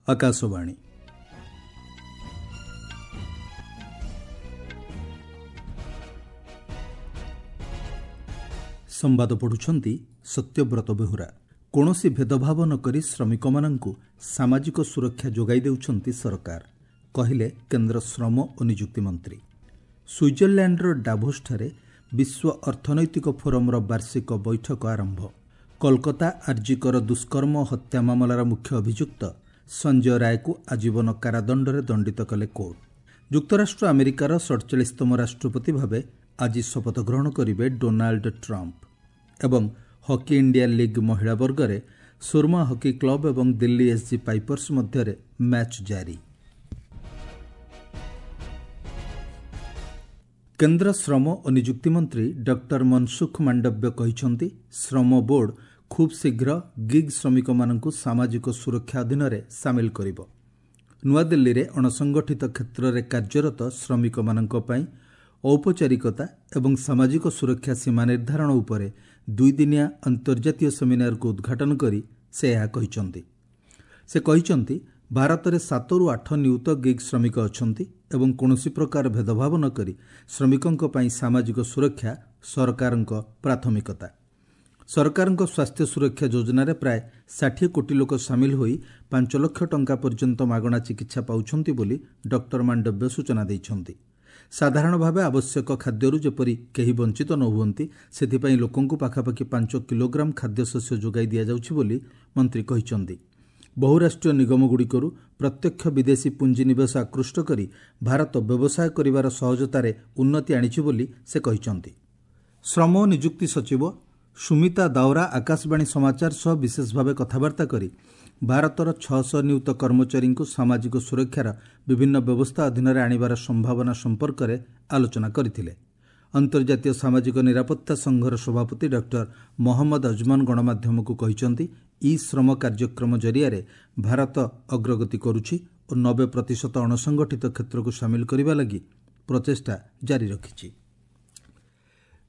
ଆକାଶବାଣୀ। ସମ୍ବାଦ ପଢ଼ୁଛନ୍ତି ସତ୍ୟବ୍ରତ ବେହୁରା। କୌଣସି ଭେଦଭାବ ନକରି ଶ୍ରମିକମାନଙ୍କୁ ସାମାଜିକ ସୁରକ୍ଷା ଯୋଗାଇ ଦେଉଛନ୍ତି ସରକାର, କହିଲେ କେନ୍ଦ୍ର ଶ୍ରମ ଓ ନିଯୁକ୍ତି ମନ୍ତ୍ରୀ। ସୁଇଜରଲ୍ୟାଣ୍ଡର ଡାଭୋସଠାରେ ବିଶ୍ୱ ଅର୍ଥନୈତିକ ଫୋରମର ବାର୍ଷିକ ବୈଠକ ଆରମ୍ଭ। କୋଲକାତା ଆର୍ଜିକର ଦୁଷ୍କର୍ମ ହତ୍ୟା ମାମଲାର ମୁଖ୍ୟ ଅଭିଯୁକ୍ତ ସଞ୍ଜୟ ରାୟକୁ ଆଜୀବନ କାରାଦଣ୍ଡରେ ଦଣ୍ଡିତ କଲେ କୋର୍ଟ। ଯୁକ୍ତରାଷ୍ଟ୍ର ଆମେରିକାର 47ତମ ରାଷ୍ଟ୍ରପତି ଭାବେ ଆଜି ଶପଥ ଗ୍ରହଣ କରିବେ ଡୋନାଲ୍ଡ ଟ୍ରମ୍ପ। ଏବଂ ହକି ଇଣ୍ଡିଆ ଲିଗ୍ ମହିଳା ବର୍ଗରେ ସୁରମା ହକି କ୍ଲବ ଏବଂ ଦିଲ୍ଲୀ ଏସ୍ଜି ପାଇପର୍ସ ମଧ୍ୟରେ ମ୍ୟାଚ୍ ଜାରି। କେନ୍ଦ୍ର ଶ୍ରମ ଓ ନିଯୁକ୍ତି ମନ୍ତ୍ରୀ ଡକ୍ଟର ମନସୁଖ ମାଣ୍ଡବ୍ୟ କହିଛନ୍ତି, ଶ୍ରମ ବୋର୍ଡ ଖୁବ୍ ଶୀଘ୍ର ଗିଗ୍ ଶ୍ରମିକମାନଙ୍କୁ ସାମାଜିକ ସୁରକ୍ଷା ଅଧୀନରେ ସାମିଲ କରିବ। ନୂଆଦିଲ୍ଲୀରେ ଅଣସଂଗଠିତ କ୍ଷେତ୍ରରେ କାର୍ଯ୍ୟରତ ଶ୍ରମିକମାନଙ୍କ ପାଇଁ ଔପଚାରିକତା ଏବଂ ସାମାଜିକ ସୁରକ୍ଷା ସୀମା ନିର୍ଦ୍ଧାରଣ ଉପରେ ଦୁଇଦିନିଆ ଅନ୍ତର୍ଜାତୀୟ ସେମିନାରକୁ ଉଦ୍ଘାଟନ କରି ସେ ଏହା କହିଛନ୍ତି। ସେ କହିଛନ୍ତି, ଭାରତରେ 7ରୁ 8 ନିୟୁତ ଗିଗ୍ ଶ୍ରମିକ ଅଛନ୍ତି ଏବଂ କୌଣସି ପ୍ରକାର ଭେଦଭାବ ନକରି ଶ୍ରମିକଙ୍କ ପାଇଁ ସାମାଜିକ ସୁରକ୍ଷା ସରକାରଙ୍କ ପ୍ରାଥମିକତା। ସରକାରଙ୍କ ସ୍ୱାସ୍ଥ୍ୟ ସୁରକ୍ଷା ଯୋଜନାରେ ପ୍ରାୟ 60 କୋଟି ଲୋକ ସାମିଲ ହୋଇ 5 ଲକ୍ଷ ଟଙ୍କା ପର୍ଯ୍ୟନ୍ତ ମାଗଣା ଚିକିତ୍ସା ପାଉଛନ୍ତି ବୋଲି ଡକ୍ଟର ମାଣ୍ଡବ୍ୟ ସୂଚନା ଦେଇଛନ୍ତି। ସାଧାରଣ ଭାବେ ଆବଶ୍ୟକ ଖାଦ୍ୟରୁ ଯେପରି କେହି ବଞ୍ଚିତ ନ ହୁଅନ୍ତି, ସେଥିପାଇଁ ଲୋକଙ୍କୁ ପାଖାପାଖି 5 କିଲୋଗ୍ରାମ ଖାଦ୍ୟଶସ୍ୟ ଯୋଗାଇ ଦିଆଯାଉଛି ବୋଲି ମନ୍ତ୍ରୀ କହିଛନ୍ତି। ବହୁରାଷ୍ଟ୍ରୀୟ ନିଗମଗୁଡ଼ିକରୁ ପ୍ରତ୍ୟକ୍ଷ ବିଦେଶୀ ପୁଞ୍ଜିନିବେଶ ଆକୃଷ୍ଟ କରି ଭାରତ ବ୍ୟବସାୟ କରିବାର ସହଜତାରେ ଉନ୍ନତି ଆଣିଛି ବୋଲି ସେ କହିଛନ୍ତି। ଶ୍ରମ ଓ ନିଯୁକ୍ତି ସଚିବ ସୁମିତା ଦାଓରା ଆକାଶବାଣୀ ସମାଚାର ସହ ବିଶେଷ ଭାବେ କଥାବାର୍ତ୍ତା କରି ଭାରତର 600 ନିୟୁତ କର୍ମଚାରୀଙ୍କୁ ସାମାଜିକ ସୁରକ୍ଷାର ବିଭିନ୍ନ ବ୍ୟବସ୍ଥା ଅଧୀନରେ ଆଣିବାର ସମ୍ଭାବନା ସମ୍ପର୍କରେ ଆଲୋଚନା କରିଥିଲେ। ଅନ୍ତର୍ଜାତୀୟ ସାମାଜିକ ନିରାପତ୍ତା ସଂଘର ସଭାପତି ଡକ୍ଟର ମହମ୍ମଦ ଅଜମନ ଗଣମାଧ୍ୟମକୁ କହିଛନ୍ତି, ଇ ଶ୍ରମ କାର୍ଯ୍ୟକ୍ରମ ଜରିଆରେ ଭାରତ ଅଗ୍ରଗତି କରୁଛି ଓ 90% ଅଣସଂଗଠିତ କ୍ଷେତ୍ରକୁ ସାମିଲ କରିବା ଲାଗି ପ୍ରଚେଷ୍ଟା ଜାରି ରଖିଛି।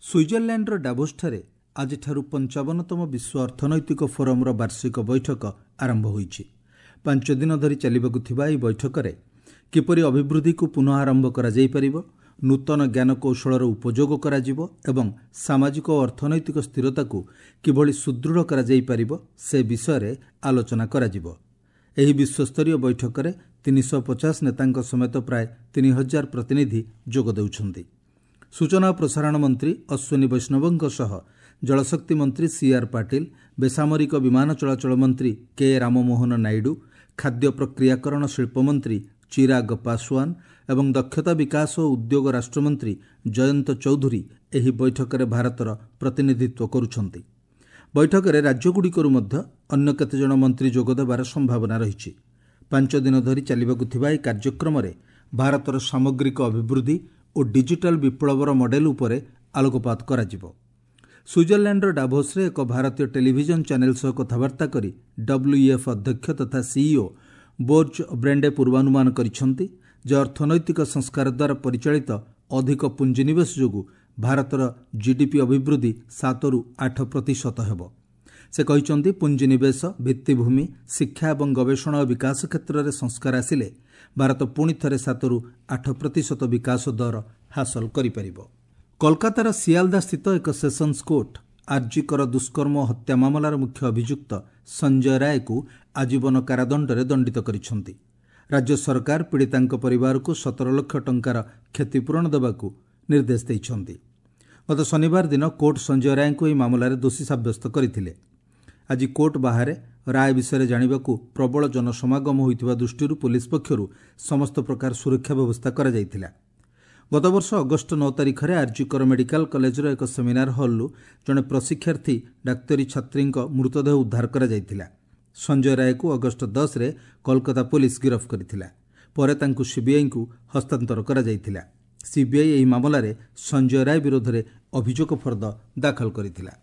ସୁଇଜରଲ୍ୟାଣ୍ଡର ଡାଭୋସଠାରେ ଆଜିଠାରୁ 55ତମ ବିଶ୍ୱ ଅର୍ଥନୈତିକ ଫୋରମର ବାର୍ଷିକ ବୈଠକ ଆରମ୍ଭ ହୋଇଛି। 5 ଦିନ ଧରି ଚାଲିବାକୁ ଥିବା ଏହି ବୈଠକରେ କିପରି ଅଭିବୃଦ୍ଧିକୁ ପୁନଃ ଆରମ୍ଭ କରାଯାଇପାରିବ, ନୂତନ ଜ୍ଞାନକୌଶଳର ଉପଯୋଗ କରାଯିବ ଏବଂ ସାମାଜିକ ଓ ଅର୍ଥନୈତିକ ସ୍ଥିରତାକୁ କିଭଳି ସୁଦୃଢ଼ କରାଯାଇପାରିବ ସେ ବିଷୟରେ ଆଲୋଚନା କରାଯିବ। ଏହି ବିଶ୍ୱସ୍ତରୀୟ ବୈଠକରେ 350 ନେତାଙ୍କ ସମେତ ପ୍ରାୟ 3000 ପ୍ରତିନିଧି ଯୋଗ ଦେଉଛନ୍ତି। ସୂଚନା ଓ ପ୍ରସାରଣ ମନ୍ତ୍ରୀ ଅଶ୍ୱିନୀ ବୈଷ୍ଣବଙ୍କ ସହ ଜଳଶକ୍ତି ମନ୍ତ୍ରୀ ସି ଆର୍ ପାଟିଲ, ବେସାମରିକ ବିମାନ ଚଳାଚଳ ମନ୍ତ୍ରୀ କେ ରାମମୋହନ ନାଇଡୁ, ଖାଦ୍ୟ ପ୍ରକ୍ରିୟାକରଣ ଶିଳ୍ପମନ୍ତ୍ରୀ ଚିରାଗ ପାଶୱାନ ଏବଂ ଦକ୍ଷତା ବିକାଶ ଓ ଉଦ୍ୟୋଗ ରାଷ୍ଟ୍ରମନ୍ତ୍ରୀ ଜୟନ୍ତ ଚୌଧୁରୀ ଏହି ବୈଠକରେ ଭାରତର ପ୍ରତିନିଧିତ୍ୱ କରୁଛନ୍ତି। ବୈଠକରେ ରାଜ୍ୟଗୁଡ଼ିକରୁ ମଧ୍ୟ ଅନ୍ୟ କେତେଜଣ ମନ୍ତ୍ରୀ ଯୋଗଦେବାର ସମ୍ଭାବନା ରହିଛି। 5 ଦିନ ଧରି ଚାଲିବାକୁ ଥିବା ଏହି କାର୍ଯ୍ୟକ୍ରମରେ ଭାରତର ସାମଗ୍ରିକ ଅଭିବୃଦ୍ଧି ଓ ଡିଜିଟାଲ ବିପ୍ଳବର ମଡେଲ ଉପରେ ଆଲୋକପାତ କରାଯିବ। ସୁଇଜରଲ୍ୟାଣ୍ଡର ଡାଭୋସରେ ଏକ ଭାରତୀୟ ଟେଲିଭିଜନ ଚ୍ୟାନେଲ ସହ କଥାବାର୍ତ୍ତା କରି ଡବ୍ଲ୍ୟୁଇଏଫ୍ ଅଧ୍ୟକ୍ଷ ତଥା ସିଇଓ ବୋର୍ଜ ବ୍ରେଣ୍ଡେ ପୂର୍ବାନୁମାନ କରିଛନ୍ତି ଯେ ଅର୍ଥନୈତିକ ସଂସ୍କାର ଦ୍ୱାରା ପରିଚାଳିତ ଅଧିକ ପୁଞ୍ଜିନିବେଶ ଯୋଗୁଁ ଭାରତର ଜିଡିପି ଅଭିବୃଦ୍ଧି 7ରୁ 8% ହେବ। ସେ କହିଛନ୍ତି, ପୁଞ୍ଜିନିବେଶ, ଭିତ୍ତିଭୂମି, ଶିକ୍ଷା ଏବଂ ଗବେଷଣା ଓ ବିକାଶ କ୍ଷେତ୍ରରେ ସଂସ୍କାର ଆସିଲେ ଭାରତ ପୁଣି ଥରେ 7ରୁ 8% ବିକାଶ ଦର ହାସଲ କରିପାରିବ। କୋଲକାତାର ସିଆଲଦା ସ୍ଥିତ ଏକ ସେସନ୍ସ କୋର୍ଟ ଆର୍ଜିକର ଦୁଷ୍କର୍ମ ହତ୍ୟା ମାମଲାର ମୁଖ୍ୟ ଅଭିଯୁକ୍ତ ସଞ୍ଜୟ ରାୟକୁ ଆଜୀବନ କାରାଦଣ୍ଡରେ ଦଣ୍ଡିତ କରିଛନ୍ତି। ରାଜ୍ୟ ସରକାର ପୀଡ଼ିତାଙ୍କ ପରିବାରକୁ 17 ଲକ୍ଷ ଟଙ୍କାର କ୍ଷତିପୂରଣ ଦେବାକୁ ନିର୍ଦ୍ଦେଶ ଦେଇଛନ୍ତି। ଗତ ଶନିବାର ଦିନ କୋର୍ଟ ସଞ୍ଜୟ ରାୟଙ୍କୁ ଏହି ମାମଲାରେ ଦୋଷୀ ସାବ୍ୟସ୍ତ କରିଥିଲେ। ଆଜି କୋର୍ଟ ବାହାରେ ରାୟ ବିଷୟରେ ଜାଣିବାକୁ ପ୍ରବଳ ଜନସମାଗମ ହୋଇଥିବା ଦୃଷ୍ଟିରୁ ପୋଲିସ ପକ୍ଷରୁ ସମସ୍ତ ପ୍ରକାର ସୁରକ୍ଷା ବ୍ୟବସ୍ଥା କରାଯାଇଥିଲା। ଗତବର୍ଷ ଅଗଷ୍ଟ 9 ତାରିଖରେ ଆର୍ଜିକର ମେଡିକାଲ କଲେଜର ଏକ ସେମିନାର ହଲ୍ରୁ ଜଣେ ପ୍ରଶିକ୍ଷାର୍ଥୀ ଡାକ୍ତରୀ ଛାତ୍ରୀଙ୍କ ମୃତଦେହ ଉଦ୍ଧାର କରାଯାଇଥିଲା। ସଞ୍ଜୟ ରାୟକୁ ଅଗଷ୍ଟ 10ରେ କୋଲକାତା ପୋଲିସ ଗିରଫ କରିଥିଲା। ପରେ ତାଙ୍କୁ ସିବିଆଇକୁ ହସ୍ତାନ୍ତର କରାଯାଇଥିଲା। ସିବିଆଇ ଏହି ମାମଲାରେ ସଞ୍ଜୟ ରାୟ ବିରୋଧରେ ଅଭିଯୋଗ ଫର୍ଦ୍ଦ ଦାଖଲ କରିଥିଲା।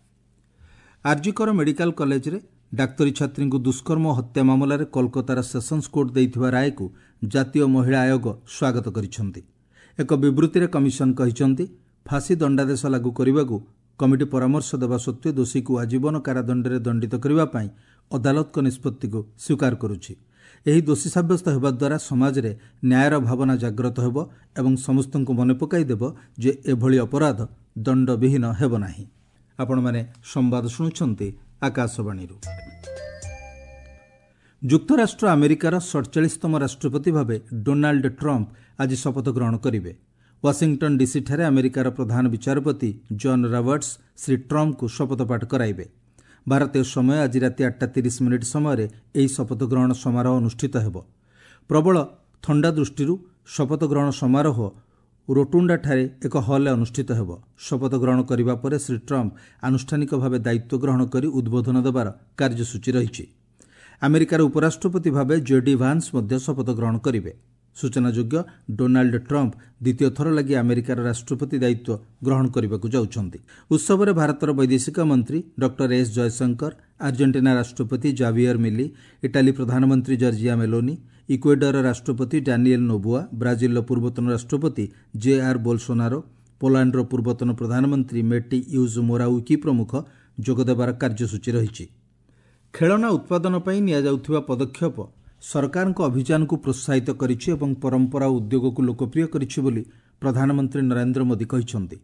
ଆର୍ଜିକର ମେଡିକାଲ କଲେଜରେ ଡାକ୍ତରୀ ଛାତ୍ରୀଙ୍କୁ ଦୁଷ୍କର୍ମ ହତ୍ୟା ମାମଲାରେ କୋଲକାତାର ସେସନ୍ସ କୋର୍ଟ ଦେଇଥିବା ରାୟକୁ ଜାତୀୟ ମହିଳା ଆୟୋଗ ସ୍ୱାଗତ କରିଛନ୍ତି। ଏକ ବିବୃତ୍ତିରେ କମିଶନ କହିଛନ୍ତି, ଫାଶୀ ଦଣ୍ଡାଦେଶ ଲାଗୁ କରିବାକୁ କମିଟି ପରାମର୍ଶ ଦେବା ସତ୍ତ୍ୱେ ଦୋଷୀକୁ ଆଜୀବନ କାରାଦଣ୍ଡରେ ଦଣ୍ଡିତ କରିବା ପାଇଁ ଅଦାଲତଙ୍କ ନିଷ୍ପତ୍ତିକୁ ସ୍ୱୀକାର କରୁଛି। ଏହି ଦୋଷୀ ସାବ୍ୟସ୍ତ ହେବା ଦ୍ୱାରା ସମାଜରେ ନ୍ୟାୟର ଭାବନା ଜାଗ୍ରତ ହେବ ଏବଂ ସମସ୍ତଙ୍କୁ ମନେ ପକାଇଦେବ ଯେ ଏଭଳି ଅପରାଧ ଦଣ୍ଡବିହୀନ ହେବ ନାହିଁ। ଆପଣମାନେ ସମ୍ବାଦ ଶୁଣୁଛନ୍ତି ଆକାଶବାଣୀରୁ। ଯୁକ୍ତରାଷ୍ଟ୍ର ଆମେରିକାର 47ତମ ରାଷ୍ଟ୍ରପତି ଭାବେ ଡୋନାଲ୍ଡ ଟ୍ରମ୍ପ ଆଜି ଶପଥ ଗ୍ରହଣ କରିବେ। ୱାଶିଂଟନ୍ ଡିସିଠାରେ ଆମେରିକାର ପ୍ରଧାନ ବିଚାରପତି ଜନ୍ ରବର୍ଟସ୍ ଶ୍ରୀ ଟ୍ରମ୍ପଙ୍କୁ ଶପଥପାଠ କରାଇବେ। ଭାରତୀୟ ସମୟ ଆଜି ରାତି 8:30 ସମୟରେ ଏହି ଶପଥ ଗ୍ରହଣ ସମାରୋହ ଅନୁଷ୍ଠିତ ହେବ। ପ୍ରବଳ ଥଣ୍ଡା ଦୃଷ୍ଟିରୁ ଶପଥ ଗ୍ରହଣ ସମାରୋହ ରୋଟୁଣ୍ଡାଠାରେ ଏକ ହଲ୍ରେ ଅନୁଷ୍ଠିତ ହେବ। ଶପଥ ଗ୍ରହଣ କରିବା ପରେ ଶ୍ରୀ ଟ୍ରମ୍ପ ଆନୁଷ୍ଠାନିକ ଭାବେ ଦାୟିତ୍ୱ ଗ୍ରହଣ କରି ଉଦ୍ବୋଧନ ଦେବାର କାର୍ଯ୍ୟସୂଚୀ ରହିଛି। ଆମେରିକାର ଉପରାଷ୍ଟ୍ରପତି ଭାବେ ଜେଡି ଭାନ୍ସ ମଧ୍ୟ ଶପଥ ଗ୍ରହଣ କରିବେ। ସୂଚନାଯୋଗ୍ୟ, ଡୋନାଲ୍ଡ ଟ୍ରମ୍ପ ଦ୍ୱିତୀୟ ଥର ଲାଗି ଆମେରିକାର ରାଷ୍ଟ୍ରପତି ଦାୟିତ୍ୱ ଗ୍ରହଣ କରିବାକୁ ଯାଉଛନ୍ତି। ଉତ୍ସବରେ ଭାରତର ବୈଦେଶିକ ମନ୍ତ୍ରୀ ଡକ୍ଟର ଏସ୍ ଜୟଶଙ୍କର, ଆର୍ଜେଣ୍ଟିନା ରାଷ୍ଟ୍ରପତି ଜାଭିୟର ମିଲି, ଇଟାଲୀ ପ୍ରଧାନମନ୍ତ୍ରୀ ଜର୍ଜିଆ ମେଲୋନି, ଇକ୍ୱେଡରର ରାଷ୍ଟ୍ରପତି ଡାନିଏଲ୍ ନୋବୁଆ, ବ୍ରାଜିଲର ପୂର୍ବତନ ରାଷ୍ଟ୍ରପତି ଜେ ଆର୍ ବୋଲସୋନାରୋ, ପୋଲାଣ୍ଡର ପୂର୍ବତନ ପ୍ରଧାନମନ୍ତ୍ରୀ ମେଟି ୟୁଜ୍ ମୋରାଉକି ପ୍ରମୁଖ ଯୋଗଦେବାର କାର୍ଯ୍ୟସୂଚୀ ରହିଛି। ଖେଳନା ଉତ୍ପାଦନ ପାଇଁ ନିଆଯାଉଥିବା ପଦକ୍ଷେପ ସରକାରଙ୍କ ଅଭିଯାନକୁ ପ୍ରୋତ୍ସାହିତ କରିଛି ଏବଂ ପରମ୍ପରା ଓ ଉଦ୍ୟୋଗକୁ ଲୋକପ୍ରିୟ କରିଛି ବୋଲି ପ୍ରଧାନମନ୍ତ୍ରୀ ନରେନ୍ଦ୍ର ମୋଦି କହିଛନ୍ତି।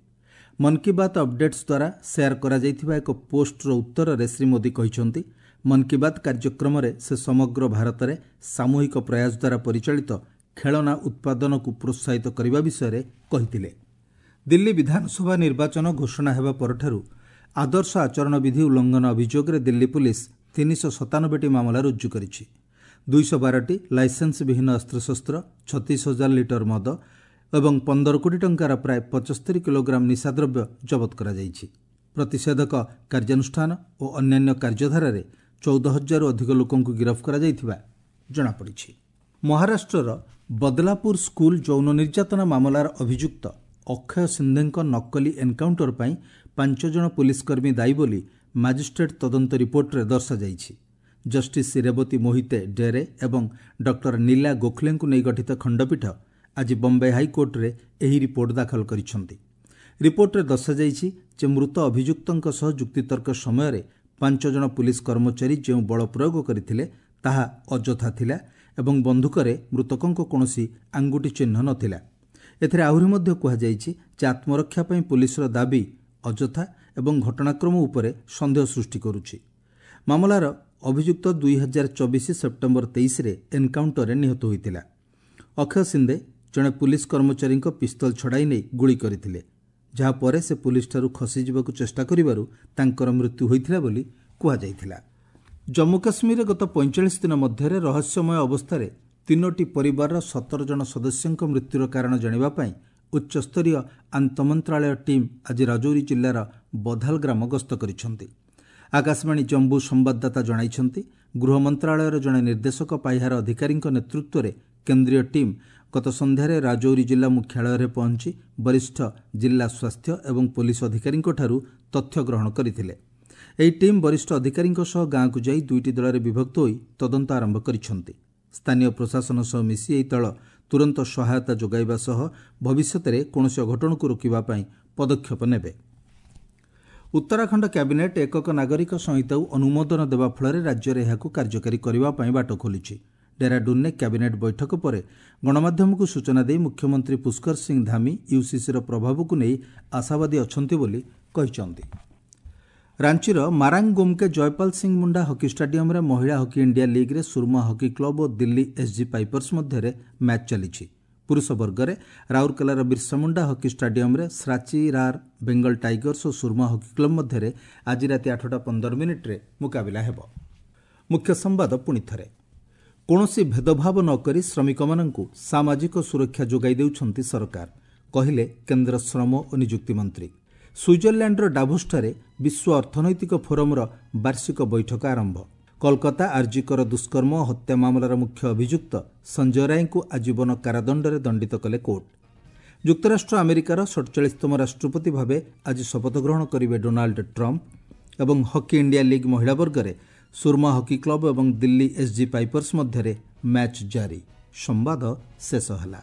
ମନ୍ କି ବାତ୍ ଅପଡେଟ୍ସ ଦ୍ୱାରା ସେୟାର କରାଯାଇଥିବା ଏକ ପୋଷ୍ଟର ଉତ୍ତରରେ ଶ୍ରୀ ମୋଦି କହିଛନ୍ତି, ମନ୍ କି ବାତ୍ କାର୍ଯ୍ୟକ୍ରମରେ ସେ ସମଗ୍ର ଭାରତରେ ସାମୂହିକ ପ୍ରୟାସ ଦ୍ୱାରା ପରିଚାଳିତ ଖେଳନା ଉତ୍ପାଦନକୁ ପ୍ରୋତ୍ସାହିତ କରିବା ବିଷୟରେ କହିଥିଲେ। ଦିଲ୍ଲୀ ବିଧାନସଭା ନିର୍ବାଚନ ଘୋଷଣା ହେବା ପରଠାରୁ ଆଦର୍ଶ ଆଚରଣ ବିଧି ଉଲ୍ଲଂଘନ ଅଭିଯୋଗରେ ଦିଲ୍ଲୀ ପୁଲିସ୍ 397ଟି ମାମଲା ରୁଜୁ କରିଛି। 212ଟି ଲାଇସେନ୍ସ ବିହୀନ ଅସ୍ତ୍ରଶସ୍ତ୍ର, 36,000 ଲିଟର ମଦ ଏବଂ 15 କୋଟି ଟଙ୍କାର ପ୍ରାୟ 75 କିଲୋଗ୍ରାମ ନିଶାଦ୍ରବ୍ୟ ଜବତ କରାଯାଇଛି। ପ୍ରତିଷେଧକ କାର୍ଯ୍ୟାନୁଷ୍ଠାନ ଓ ଅନ୍ୟାନ୍ୟ କାର୍ଯ୍ୟଧାରାରେ 14,000ରୁ ଅଧିକ ଲୋକଙ୍କୁ ଗିରଫ କରାଯାଇଥିବା ଜଣାପଡ଼ିଛି। ମହାରାଷ୍ଟ୍ରର ବଦଲାପୁର ସ୍କୁଲ ଯୌନ ନିର୍ଯାତନା ମାମଲାର ଅଭିଯୁକ୍ତ ଅକ୍ଷୟ ସିନ୍ଧେଙ୍କ ନକଲି ଏନ୍କାଉଣ୍ଟର ପାଇଁ 5 ଜଣ ପୁଲିସକର୍ମୀ ଦାୟୀ ବୋଲି ମାଜିଷ୍ଟ୍ରେଟ୍ ତଦନ୍ତ ରିପୋର୍ଟରେ ଦର୍ଶାଯାଇଛି। ଜଷ୍ଟିସ୍ ରେବତୀ ମୋହିତେ ଡେରେ ଏବଂ ଡକ୍ଟର ନୀଲା ଗୋଖଲେଙ୍କୁ ନେଇ ଗଠିତ ଖଣ୍ଡପୀଠ ଆଜି ବମ୍ବେ ହାଇକୋର୍ଟରେ ଏହି ରିପୋର୍ଟ ଦାଖଲ କରିଛନ୍ତି। ରିପୋର୍ଟରେ ଦର୍ଶାଯାଇଛି ଯେ ମୃତ ଅଭିଯୁକ୍ତଙ୍କ ସହ ଯୁକ୍ତିତର୍କ ସମୟରେ 5 ଜଣ ପୁଲିସ କର୍ମଚାରୀ ଯେଉଁ ବଳ ପ୍ରୟୋଗ କରିଥିଲେ ତାହା ଅଯଥା ଥିଲା ଏବଂ ବନ୍ଧୁକରେ ମୃତକଙ୍କ କୌଣସି ଆଙ୍ଗୁଠି ଚିହ୍ନ ନଥିଲା। ଏଥିରେ ଆହୁରି ମଧ୍ୟ କୁହାଯାଇଛି ଯେ ଆତ୍ମରକ୍ଷା ପାଇଁ ପୁଲିସର ଦାବି ଅଯଥା ଏବଂ ଘଟଣାକ୍ରମ ଉପରେ ସନ୍ଦେହ ସୃଷ୍ଟି କରୁଛି। ମାମଲାର ଅଭିଯୁକ୍ତ 2024 ସେପ୍ଟେମ୍ବର 23ରେ ଏନ୍କାଉଣ୍ଟରରେ ନିହତ ହୋଇଥିଲା। ଅକ୍ଷୟ ସିନ୍ଦେ ଜଣେ ପୁଲିସ କର୍ମଚାରୀଙ୍କ ପିସ୍ତଲ ଛଡ଼ାଇ ନେଇ ଗୁଳି କରିଥିଲେ, ଯାହା ପରେ ସେ ପୁଲିସଠାରୁ ଖସିଯିବାକୁ ଚେଷ୍ଟା କରିବାରୁ ତାଙ୍କର ମୃତ୍ୟୁ ହୋଇଥିଲା ବୋଲି କୁହାଯାଇଥିଲା। ଜମ୍ମୁ କାଶ୍ମୀରରେ ଗତ 45 ଦିନ ମଧ୍ୟରେ ରହସ୍ୟମୟ ଅବସ୍ଥାରେ 3ଟି ପରିବାରର 17 ଜଣ ସଦସ୍ୟଙ୍କ ମୃତ୍ୟୁର କାରଣ ଜାଣିବା ପାଇଁ ଉଚ୍ଚସ୍ତରୀୟ ଆନ୍ତଃମନ୍ତ୍ରାଳୟ ଟିମ୍ ଆଜି ରାଜୌରୀ ଜିଲ୍ଲାର ବଧାଲ ଗ୍ରାମ ଗସ୍ତ କରିଛନ୍ତି। ଆକାଶବାଣୀ ଜମ୍ମୁ ସମ୍ବାଦଦାତା ଜଣାଇଛନ୍ତି, ଗୃହ ମନ୍ତ୍ରାଳୟର ଜଣେ ନିର୍ଦ୍ଦେଶକ ପାହ୍ୟାର ଅଧିକାରୀଙ୍କ ନେତୃତ୍ୱରେ କେନ୍ଦ୍ରୀୟ ଟିମ୍ ଗତ ସନ୍ଧ୍ୟାରେ ରାଜୌରୀ ଜିଲ୍ଲା ମୁଖ୍ୟାଳୟରେ ପହଞ୍ଚି ବରିଷ୍ଠ ଜିଲ୍ଲା ସ୍ୱାସ୍ଥ୍ୟ ଏବଂ ପୋଲିସ ଅଧିକାରୀଙ୍କଠାରୁ ତଥ୍ୟ ଗ୍ରହଣ କରିଥିଲେ। ଏହି ଟିମ୍ ବରିଷ୍ଠ ଅଧିକାରୀଙ୍କ ସହ ଗାଁକୁ ଯାଇ 2ଟି ଦଳରେ ବିଭକ୍ତ ହୋଇ ତଦନ୍ତ ଆରମ୍ଭ କରିଛନ୍ତି। ସ୍ଥାନୀୟ ପ୍ରଶାସନ ସହ ମିଶି ଏହି ଦଳ ତୁରନ୍ତ ସହାୟତା ଯୋଗାଇବା ସହ ଭବିଷ୍ୟତରେ କୌଣସି ଅଘଟଣକୁ ରୋକିବା ପାଇଁ ପଦକ୍ଷେପ ନେବେ। ଉତ୍ତରାଖଣ୍ଡ କ୍ୟାବିନେଟ୍ ଏକକ ନାଗରିକ ସଂହିତାକୁ ଅନୁମୋଦନ ଦେବା ଫଳରେ ରାଜ୍ୟରେ ଏହାକୁ କାର୍ଯ୍ୟକାରୀ କରିବା ପାଇଁ ବାଟ ଖୋଲିଛି। ଡେରାଡୁନ୍ରେ କ୍ୟାବିନେଟ୍ ବୈଠକ ପରେ ଗଣମାଧ୍ୟମକୁ ସୂଚନା ଦେଇ ମୁଖ୍ୟମନ୍ତ୍ରୀ ପୁଷ୍କର ସିଂ ଧାମି ୟୁସିସିର ପ୍ରଭାବକୁ ନେଇ ଆଶାବାଦୀ ଅଛନ୍ତି ବୋଲି କହିଛନ୍ତି। ରାଞ୍ଚିର ମାରାଙ୍ଗୋମ୍କେ ଜୟପାଲ ସିଂ ମୁଣ୍ଡା ହକି ଷ୍ଟାଡିୟମ୍ରେ ମହିଳା ହକି ଇଣ୍ଡିଆ ଲିଗ୍ରେ ସୁରମା ହକି କ୍ଲବ୍ ଓ ଦିଲ୍ଲୀ ଏସ୍ଜି ପାଇପର୍ସ ମଧ୍ୟରେ ମ୍ୟାଚ୍ ଚାଲିଛି। ପୁରୁଷ ବର୍ଗରେ ରାଉରକେଲାର ବିର୍ସାମୁଣ୍ଡା ହକି ଷ୍ଟାଡିୟମ୍ରେ ଶ୍ରାଚି ରାର୍ ବେଙ୍ଗଲ ଟାଇଗର୍ସ ଓ ସୁରମା ହକି କ୍ଲବ୍ ମଧ୍ୟରେ ଆଜି ରାତି 8:15 ମୁକାବିଲା ହେବ। ମୁଖ୍ୟ ସମ୍ବାଦ ପୁଣି ଥରେ, କୌଣସି ଭେଦଭାବ ନ କରି ଶ୍ରମିକମାନଙ୍କୁ ସାମାଜିକ ସୁରକ୍ଷା ଯୋଗାଇ ଦେଉଛନ୍ତି ସରକାର, କହିଲେ କେନ୍ଦ୍ର ଶ୍ରମ ଓ ନିଯୁକ୍ତି ମନ୍ତ୍ରୀ। ସୁଇଜରଲ୍ୟାଣ୍ଡର ଡାଭୋସଠାରେ ବିଶ୍ୱ ଅର୍ଥନୈତିକ ଫୋରମର ବାର୍ଷିକ ବୈଠକ ଆରମ୍ଭ। କୋଲକାତା ଆର୍ଜିକର ଦୁଷ୍କର୍ମ ଓ ହତ୍ୟା ମାମଲାର ମୁଖ୍ୟ ଅଭିଯୁକ୍ତ ସଞ୍ଜୟ ରାୟଙ୍କୁ ଆଜୀବନ କାରାଦଣ୍ଡରେ ଦଣ୍ଡିତ କଲେ କୋର୍ଟ। ଯୁକ୍ତରାଷ୍ଟ୍ର ଆମେରିକାର 47ତମ ରାଷ୍ଟ୍ରପତି ଭାବେ ଆଜି ଶପଥ ଗ୍ରହଣ କରିବେ ଡୋନାଲ୍ଡ ଟ୍ରମ୍ପ। ଏବଂ ହକି ଇଣ୍ଡିଆ ଲିଗ୍ ମହିଳା ବର୍ଗରେ ସୁରମା ହକି କ୍ଲବ୍ ଏବଂ ଦିଲ୍ଲୀ ଏସ୍ଜି ପାଇପର୍ସ ମଧ୍ୟରେ ମ୍ୟାଚ୍ ଜାରି। ସମ୍ବାଦ ଶେଷ ହେଲା।